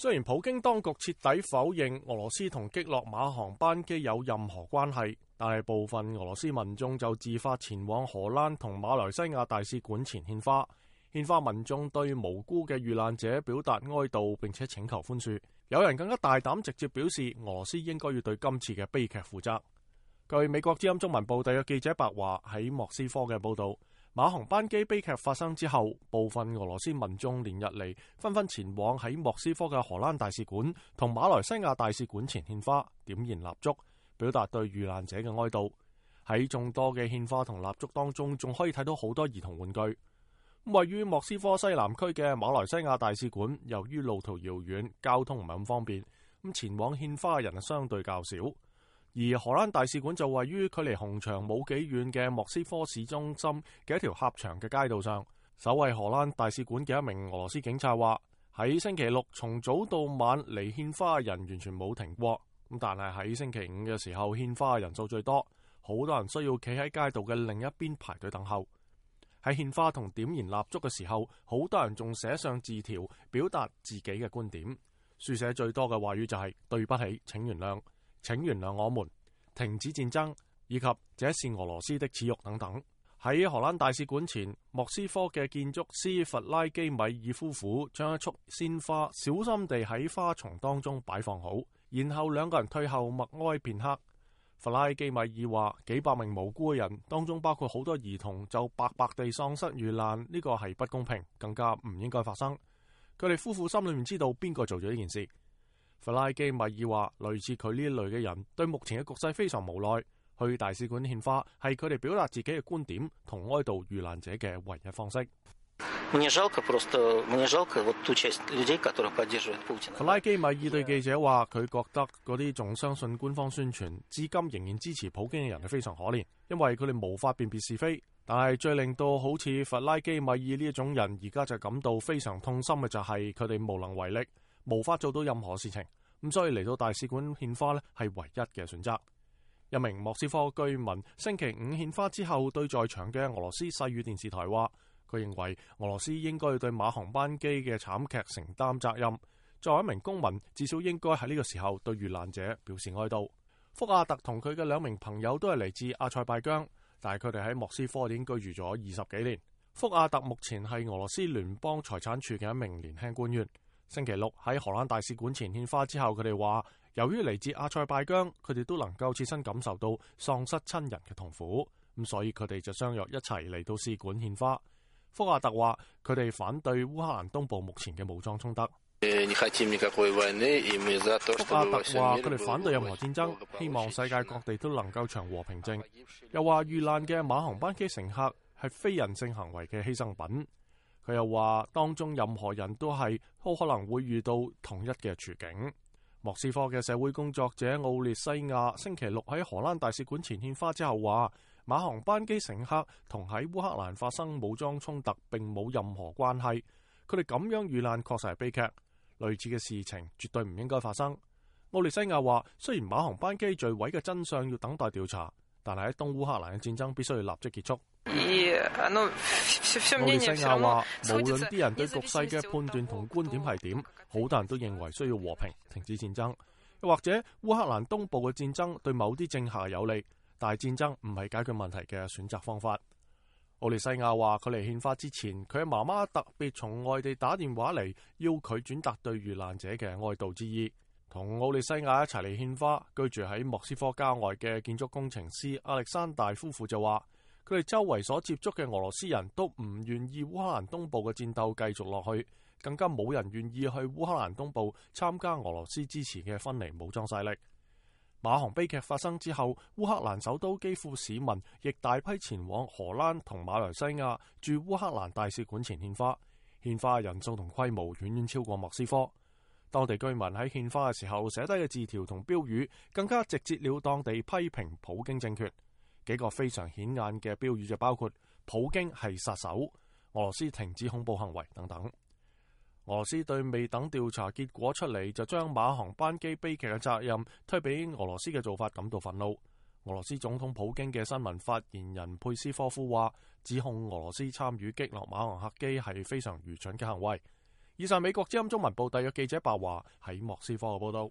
雖然普京當局徹底否認俄羅斯同擊落馬航班機有任何關係，但係部分俄羅斯民眾就自發前往荷蘭同馬來西亞大使館前獻花。獻花民眾對無辜嘅遇難者表達哀悼，並且請求寬恕。有人更加大膽直接表示，俄羅斯應該要對今次嘅悲劇負責。據美國之音中文部特約記者白華喺莫斯科嘅報道，馬航班機悲劇發生之後，部分俄羅斯民眾連日嚟紛紛前往喺莫斯科嘅荷蘭大使館同馬來西亞大使館前獻花、點燃蠟燭，表達對遇難者嘅哀悼。喺眾多嘅獻花同蠟燭當中，仲可以睇到好多兒童玩具。位於莫斯科西南區嘅馬來西亞大使館，由於路途遙遠，交通唔係咁方便，咁前往獻花嘅人相對較少。而荷蘭大使館就位於距離紅場冇幾遠嘅莫斯科市中心嘅一條狹長嘅街道上。守衛荷蘭大使館嘅一名俄羅斯警察話：喺星期六從早到晚嚟獻花嘅人完全冇停過，咁但係喺星期五嘅時候獻花嘅人數最多，好多人需要企喺街道嘅另一邊排隊等候。喺獻花同點燃蠟燭嘅時候，好多人仲寫上字條表達自己嘅觀點，書寫最多嘅話語就係對不起，請原諒，請原諒我們，停止戰爭，以及這是俄羅斯的恥辱等等。喺荷蘭大使館前，莫斯科嘅建築師弗拉基米爾夫婦將一束鮮花小心地喺花叢當中擺放好，然後兩個人退後默哀片刻。弗拉基米爾話：幾百名無辜嘅人當中，包括好多兒童，就白白地喪失遇難，呢個係不公平，更加唔應該發生。佢哋夫婦心裏面知道邊個做咗呢件事。弗拉基米爾話：類似佢呢一類嘅人，對目前嘅局勢非常無奈。去大使館獻花係佢哋表達自己嘅觀點同哀悼遇難者嘅唯一方式。弗拉基米爾對記者話：佢覺得嗰啲仲相信官方宣傳，至今仍然支持普京嘅人係非常可憐，因為佢哋無法辨別是非。但係最令到好似弗拉基米爾呢一種人而家就感到非常痛心嘅就係佢哋無能為力，無法做到任何事情。咁所以嚟到大使館獻花呢係唯一嘅選擇。一名莫斯科居民星期五獻花之後，對在場嘅俄羅斯世語電視台話：佢認為俄羅斯應該要對馬航班機嘅慘劇承擔責任。作為一名公民，至少應該喺呢個時候對遇難者表示哀悼。福亞特同佢嘅兩名朋友都係嚟自阿塞拜疆，但係佢哋喺莫斯科已經居住咗20幾年。福亞特目前係俄羅斯聯邦財產處嘅一名年輕官員。星期六喺荷蘭大使館前獻花之後，佢哋話：由於嚟自阿塞拜疆，佢哋都能夠切身感受到喪失親人嘅痛苦，咁所以佢哋就相約一齊嚟到使館獻花。福亞特話：佢哋反對烏克蘭東部目前嘅武裝衝突。福亞特話：佢哋反對任何戰爭，希望世界各地都能夠祥和平靜。又話遇難嘅馬航班機乘客係非人性行為嘅犧牲品。佢又話：當中任何人都可能會遇到同一嘅處境。莫斯科嘅社會工作者奧列西亞星期六喺荷蘭大使館前獻花之後話：馬航班機乘客同喺烏克蘭發生武裝衝突並冇任何關係，佢哋咁樣遇難確實係悲劇，類似嘅事情絕對唔應該發生。奧列西亞話：雖然馬航班機墜毀嘅真相要等待調查，但係喺東烏克蘭嘅戰爭必須要立即結束。奧列西亞話：無論啲人對局勢嘅判斷同觀點係點，好多人都認為需要和平，停止戰爭。又或者烏克蘭東部嘅戰爭對某啲政客有利，但係戰爭唔係解決問題嘅選擇方法。奧列西亞話：佢嚟獻花之前，佢嘅媽媽特別從外地打電話嚟，要佢轉達對遇難者嘅哀悼之意。同奧列西亞一齊嚟獻花，居住喺莫斯科郊外嘅建築工程師亞歷山大夫婦就話：佢哋周圍所接觸嘅俄羅斯人都唔願意烏克蘭東部嘅戰鬥繼續落去，更加冇人願意去烏克蘭東部參加俄羅斯支持嘅分離武裝勢力。馬航悲劇發生之後，烏克蘭首都基輔市民亦大批前往荷蘭同馬來西亞駐烏克蘭大使館前獻花，獻花人數同規模遠遠超過莫斯科。當地居民喺獻花嘅時候寫低嘅字條同標語，更加直截了當地批評普京政權。幾個非常顯眼嘅標語就包括普京係殺手、俄羅斯停止恐怖行為等等。俄羅斯對未等調查結果出嚟就將馬航班機悲劇嘅責任推俾俄羅斯嘅做法感到憤怒。俄羅斯總統普京嘅新聞發言人佩斯科夫話，指控俄羅斯參與擊落馬航客機係非常愚蠢嘅行為。以上美國之音中文部特約記者白華喺莫斯科嘅報道。